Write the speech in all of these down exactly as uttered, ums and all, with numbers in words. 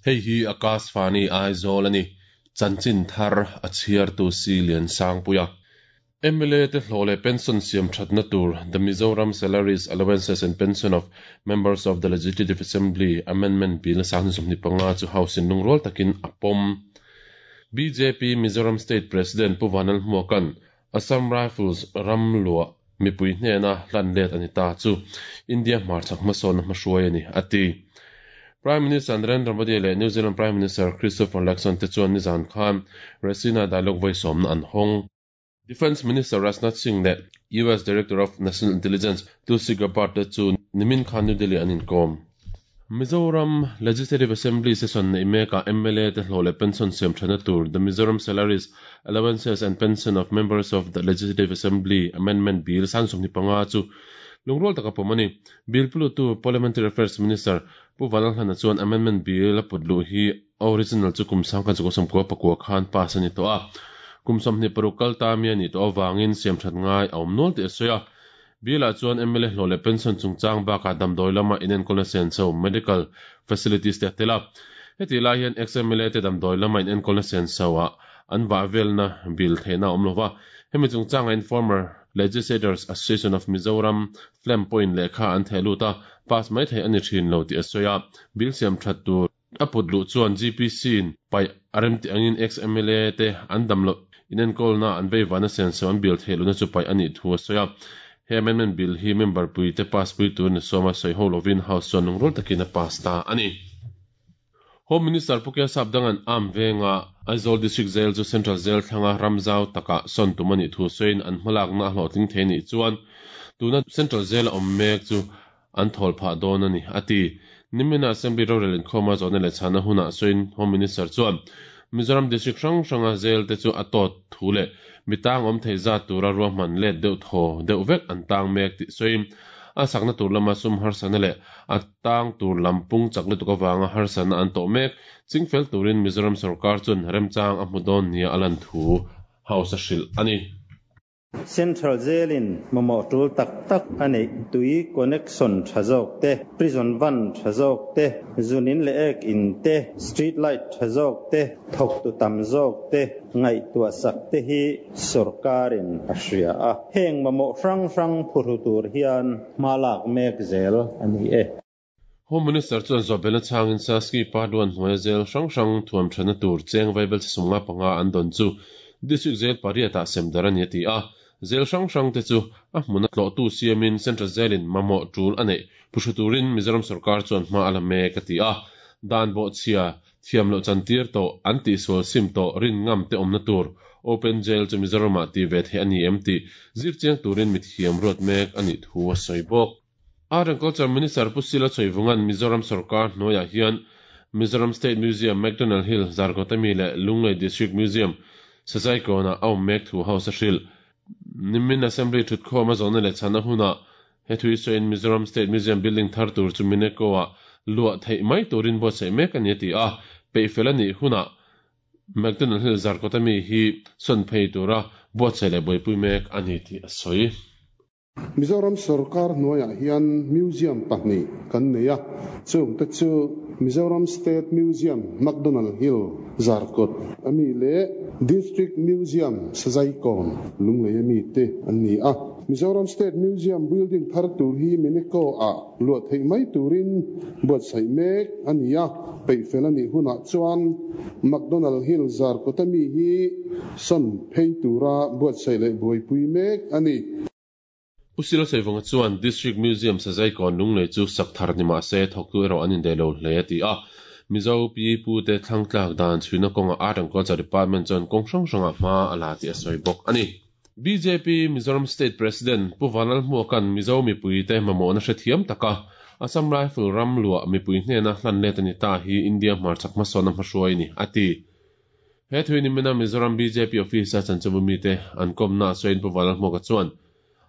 Hei hi Akashvani Aizawl a ni. Chanchin thar a chhiartu si Lian Sangpuia. M L A te hlawh leh pension siam thatna tur The Mizoram Salaries, Allowances and Pension of Members of the Legislative Assembly Amendment Bill sanghnih sawmhnih panga chu House in lungrual takin a pawm. B J P Mizoram State President Pu Vanlalhmuaka'n Assam Rifles ram luah mipui hnena hlan let ani ta chu India hmarchhak hmasawnna hmahruai a ni a ti. Prime Minister Narendra Modi leh New Zealand Prime Minister Christopher Luxon te chuan nizan khan Raisina Dialogue voi sawmna an hawng. Defence Minister Rajnath Singh leh U S Director of National Intelligence Tulsi Gabbard te chu nimin khan New Delhi an inkawm. Mizoram Legislative Assembly session nei mekah M L A te hlawh leh pension siam thana tur The Mizoram Salaries, Allowances and Pension of Members of the Legislative Assembly Amendment Bill sang sawmhnih panga chu lungrual taka pawm a ni. Bill pulutu Parliamentary Affairs Minister Pu Vanlalhlana chuan Amendment Bill a put luh hi original chu kum sangkhat zakua sawmkua pakua khan pass a ni tawh a. Kum sawmhnih paruk kal ta mi a nih tawh avangin siam that ngai a awm nual tih a sawi a. Bill ah chuan M L A hlawh leh pension chungchang bakah damdawi lama inenkawlna senso medical facilities te a tel a. Heti lai hian ex-M L A te damdawi lama inenkawlna senso ah an vah velna bill theihna a awm lova. Hemi chungchanga in Former Legislators Association of Mizoram FLAM pawhin lehkha an theh lut a, pass mai thei a ni thin lo tih a sawi a. Bill siam that tur a put luh chuan G P C in paih a remti angin ex-M L A te an damloh inenkawlna an veivahna senso an bill theih lohna chu paih a nih thu a sawi a. He amendment bill hi member pui te pass pui tur ni sawma sawi ho lovin House chuan lungrual takin a pass ta a ni. Home Minister Pu K Sapdanga'n Armed Venga Aizawl District Jail chu Central Jail thlanga ramzau takah sawn tum a nih thu sawiin an hmalakna a hlawhtling thei nih chuan tuna Central Jail a awm mek chu an thawl phah dawn a ni a ti. Nimina Assembly rorel inkhawma zawhna leh chhana hunah sawiin Home Minister chuan Mizoram District hrang hranga jail te chu a tawt thu leh mitang awm thei zat tura ruahman let deuh thaw deuh vek an tang mek tih sawiin a sakna tur lama sum harsana leh a tang tur lampung chak lutuk awanga harsana an tawh mek chingfel turin Mizoram sarkar chuan remchang a hmu dawn nia a lan thu House a hrilh a ni. Central Jail-in mamawh tul tak tak a neih tui connection tha zawk te, prison van tha zawk te, zunin leh ek in te, street light tha zawk te, thawk tu tam zawk te, ngaihtuah sak te hi sarkarin a hria a. Heng mamawh hrang hrang phuhru tur hian hmalak mek zel a ni e. Home Minister chuan zawhbelna changin Saski Part one hnuaia jail hrang hrang thuam thana tur cheng vaibelchhe sawmnga panga an dawn chu District Jail pariatah semdar a ni a ti a. Jail hrang hrang te chu a hmuna tlawhtu siamin Central Jail-in mamawh tul a neih phuhru turin Mizoram sarkar chuan hma a la mek a ti a. Dan bawhchhia thiam loh chantir tawh an tihsual sim tawh rin ngam te awmna tur Open Jail chu Mizoramah ti ve thei a ni em tih zirchiang turin mithiam ruat mek a nih thu a sawi bawk. Art and Culture Minister Pu Sila Chawivunga'n Mizoram sarkar hnuaiah hian Mizoram State Museum MacDonald Hill Zarkawt ami leh Lunglei District Museum Sazaikawnah a awm mek thu House a hrilh. Nimin Assembly thutkhawm a zawhna leh chhana hunah he thui sawiin Mizoram State Museum building thar tur chu Mineko ah luah theih mai turin buatsaih mek a ni a ti a. Peihfel a nih hunah MacDonald Hill Zarkawt ami hi sawn phei tura buatsaih leh buaipui mek a ni tih a sawi. Mizoram sarkar hnuaiah hian museum pahnih kan nei a, chung te chu Mizoram State Museum MacDonald Hill Zarkawt ami leh District Museum Sazaikawn Lunglei ami te an ni a. Mizoram State Museum building thar tur hi Mineko ah luah theih mai turin buatsaih mek a ni a, peihfel a nih hunah chuan MacDonald Hill Zarkawt ami hi sawn phei tura buatsaih leh buaipui mek a ni. Pu Sila Chawivunga chuan District Museum Sazaikawn Lunglei chu sak thar ni mah se thawktu erawh an indei lo hle a ti a. Mizo pi pu te thlang tlak dan chhuina kawnga Art and Culture Department chuan kawng hrang hrangah hma a la tih a sawi bawk a ni. B J P Mizoram State President Pu Vanlalhmuaka'n Mizo mipui te mamawhna hrethiam taka Assam Rifle ram luah mipui hnena hlan let a ni ta hi India hmarchhak hmasawnna hmahruai ni a ti. He thui nimina Mizoram B J P office a chanchinbu mite an kawmna a sawiin Pu Vanlalhmuaka chuan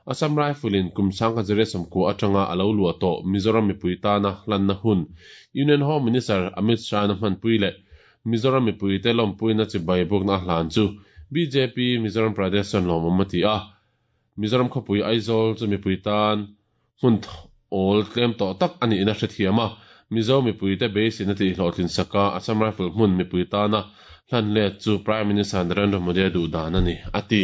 Assam Rifle in kum sangkhat zariat sawmkua atanga a lo luah tawh Mizoram mipui tana hlanna hun Union Home Minister Amit Shah na hmanpui leh Mizoram mipui te lawmpuina chibai bukna a hlan chu B J P Mizoram Pradesh chuan lawmawm a ti a. Mizoram khawpui Aizawl chu mipui tan hmun awl tlem tawh tak a nihna hrethiam a. Mizo mipui te beiseina tih hlawhtlin saka Assam Rifle hmun mipui tana hlan let chu Prime Minister Narendra Modi duh dan a ni, a ti.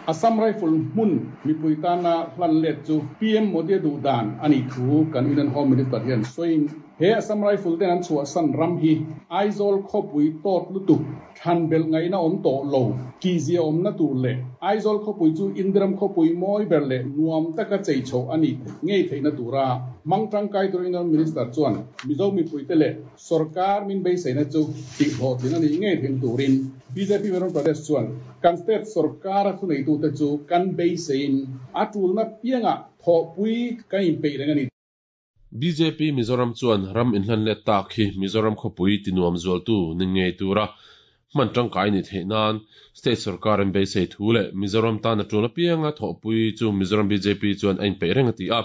Assam Rifle hmun mipui tana hlan let chu P M Modi duh dan a nih thu kan Union Home Minister hian sawiin he Assam Rifle ten an chhuah san ram hi Aizawl khawpui tawt lutuk than bel ngaina awm tawh lo ti zia awmna tur leh Aizawl khawpui chu Indiram khawpui mawi ber leh nuam taka chei chho a ni ngei theihna tura mang tangkai tur Union Minister chuan Mizo mipui te leh sarkar min beiseina chu tih hlawhtlin a nih ngei theihna turin B J P Mizoram Pradesh chuan kan state sarkar a thunei tu te chu kan beisein a tulna pianga thawhpui kan inpeih reng a ni. B J P Mizoram chuan ram inhlan let tak hi Mizoram khawpui ti nuam zual tu ni ngei tura man tangkai ni theih nan state sarkar an beisei thu leh Mizoram tan a tuna pianga thawhpui chu Mizoram B J P chuan a inpeih reng a ti a.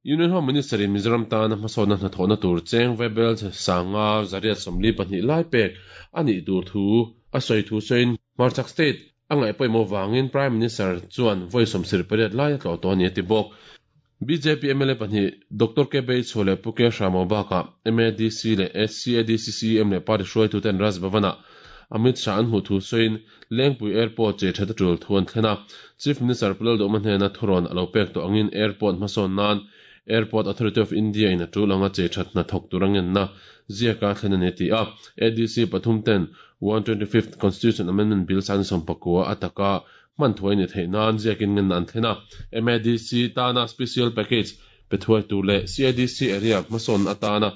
Union Home Minister in Mizoram tan a hmasawnna hnathawhna tur cheng Vebel sanga zariat sawmli pahnih lai pek a nih tur thu a sawi thu sawiin Hmarchhak State a ngaih pawimawh wangin Prime Minister chuan vawi sawmsir pariat lai a tlawh tawh a ni a ti bawk. B J P M L A pahnih Doctor K Beichhuah leh Pu K Hramo bakah M A D C leh S C A D C C M leh party hruaitu ten Raj Bhavana Amit Shah an hmuh thu sawiin Lengpui Airport che that a tul thu an thlen a. Chief Minister Pulal Duhma hnena thuron a lo pek tawh angin airport hmasawn nan Airport Authority of India in a tul anga che that hna thawk tur angen na ziaka thlen a ni ti a. A D C pathum ten one twenty-fifth Constitution Amendment Bill san sawmpakua ataka man thuai ni theih nan ziakin ngen an thlen a. M A D C tana special package pethuai tur leh C I D C area hmasawn atana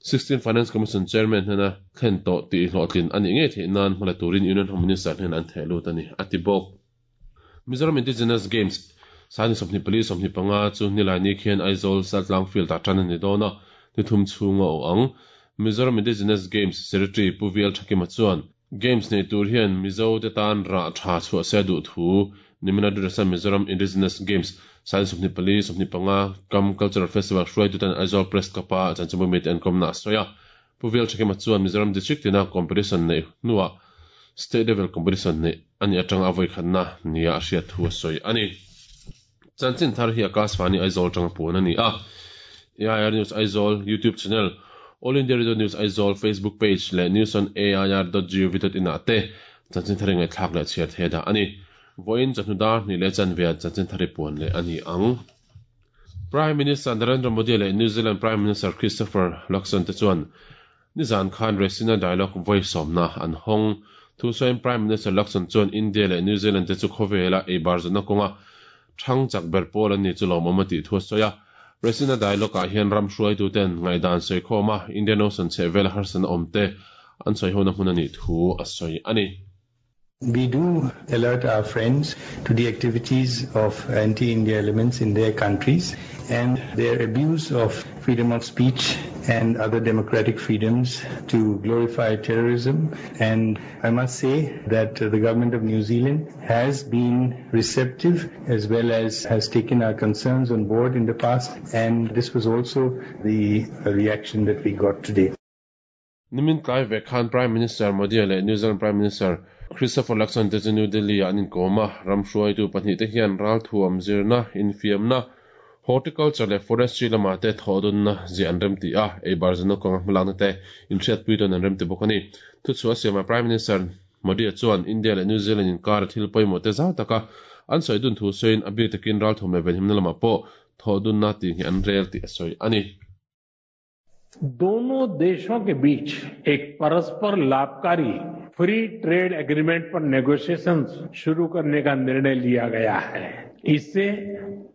sixteen Finance Commission Chairman hnena thlen tawh tih hlawhtlin a nih ngei theih nan hmala turin Union Home Minister hnen an theh lut a ni a ti bawk. Mizoram Indigenous Games sani sawmhnih pali sawmhnih panga chu nilai ni khian Aizawl Saltlang Field ah tan a ni dawn a, ni thum chhunga aw ang. Mizoram Indigenous Games Secretary Pu V L Thakima chuan Games nei tur hian Mizo te tan rah tha chhuah se duh thu nimina Durasan Mizoram Indigenous Games sani sawmhnih pali sawmhnih panga kam Cultural Festival hruaitu ten Aizawl Press Club a chanchinbu mi te an kawmna a sawi a. Pu V L Thakima chuan Mizoram District tina competition nei hnuah state level competition nei ani atanga a vawi khatna nia a hriat thu a sawi a ni. Chanchin thar hi Akashvani Aizawl tanga puan a ni a. A I R News Aizawl YouTube channel, All India Radio News Aizawl Facebook page leh news on A I R dot gov dot in ah te chanchin thar ngai thlak leh chhiar the dah a ni. Vawiin chawhnu dar hnih leh chanve chanchin thar hi puan leh a ni ang. Prime Minister Narendra Modi leh New Zealand Prime Minister Christopher Luxon te chuan nizan khan Raisina Dialogue vawi sawmna an hawng. Thu sawiin Prime Minister Luxon chuan India leh New Zealand te chu khawvela ei bar zawhna kawnga thang chak ber pawl an ni chu lawmawm a tih thu a sawi a. Raisina Dialogue ah hian ram hruaitu ten ngaidan sawi khawm a Indian Ocean chhehvel harsana awm te an sawi hona hmun a nih thu a sawi a ni. We do alert our friends to the activities of anti-India elements in their countries and their abuse of freedom of speech and other democratic freedoms to glorify terrorism. And I must say that the government of New Zealand has been receptive as well as has taken our concerns on board in the past. And this was also the reaction that we got today. Nimin tlai ve khan Prime Minister Modi leh New Zealand Prime Minister Christopher Luxon te chu New Delhi ah an inkawm a, ram hruaitu pahnih te hian ral thuam zirna, infiamna, horticulture leh forestry lamah te thawhdunna ziah an rem ti a, ei bar zawhna kawnga hmalakna te inhriatpui tawn an rem ti bawk a ni. Thu chhuah siamah Prime Minister Modi chuan India leh New Zealand inkar a thil pawimawh te zau taka an sawi dun thu sawiin a bik takin ral thuam leh venhimna lamah pawh thawhdunna tih hi an rel tih a sawi a ni. दोनों देशों के बीच एक परस्पर लाभकारी free trade agreement पर नेगोशिएशंस शुरू करने का निर्णय लिया गया है। इससे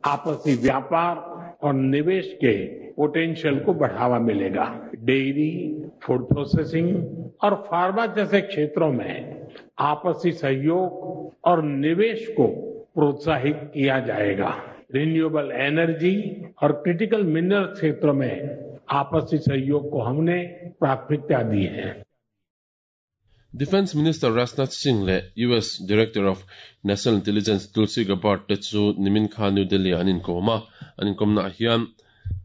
आपसी व्यापार और निवेश के पोटेंशियल को बढ़ावा मिलेगा। Dairy, food processing और फार्मा जैसे क्षेत्रों में आपसी सहयोग और निवेश को प्रोत्साहित किया जाएगा। रिन्यूएबल एनर्जी और क्रिटिकल मिनरल क्षेत्रों में आपसी सहयोग को हमने प्राथमिकता दी है। Defense Minister Rajnath Singh le U S Director of National Intelligence Tulsi Gabbard te chu nimin khan New Delhi an inkawm a, an inkawmna ah hian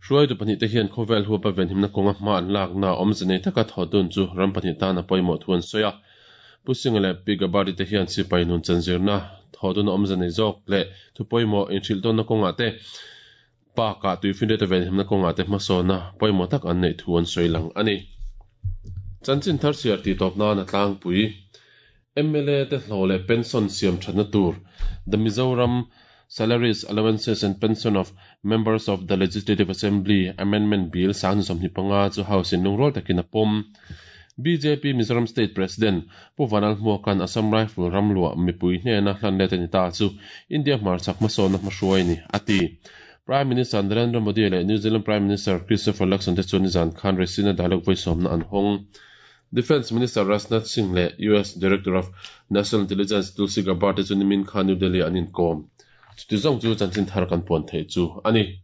hruaitu pahnih te hian khawvel huapa venhimna kawnga hma an lakna awmze nei taka thawhdun chu ram pahnih tan a pawimawh thu an sawi a. Pu Singh le Pi Gabbard te hian sipai nun chanzirna thawhdun awmze nei zawk leh thu pawimawh inhrilh tawnna kawngah te Baka tuifinriat a venhimna kawnga te hmasawna pawimawh tak an neih thu an sawi lang a ni. Chanchin thar chhiar tih tawp nan a tlangpui. M L A te hlawh leh pension siam thatna tur The Mizoram Salaries, Allowances and Pension of Members of the Legislative Assembly Amendment Bill sang sawmhnih panga chu House in lungrual takin a pawm. B J P Mizoram State President Pu Vanlalhmuaka'n Assam Rifle ramluah mipui hnena hlan let a ni ta chu India hmarchhak hmasawnna hmahruai ni a ti. Prime Minister Narendra Modi leh New Zealand Prime Minister Christopher Luxon te chuan nizan khan Raisina Dialogue vawisawmna an hawng. Defence Minister Rajnath Singh leh U S Director of National Intelligence Tulsi Gabbard te chu nimin khan New Delhi an inkawm. Chuti zawng chu chanchin thar kan puan theih chu a ni.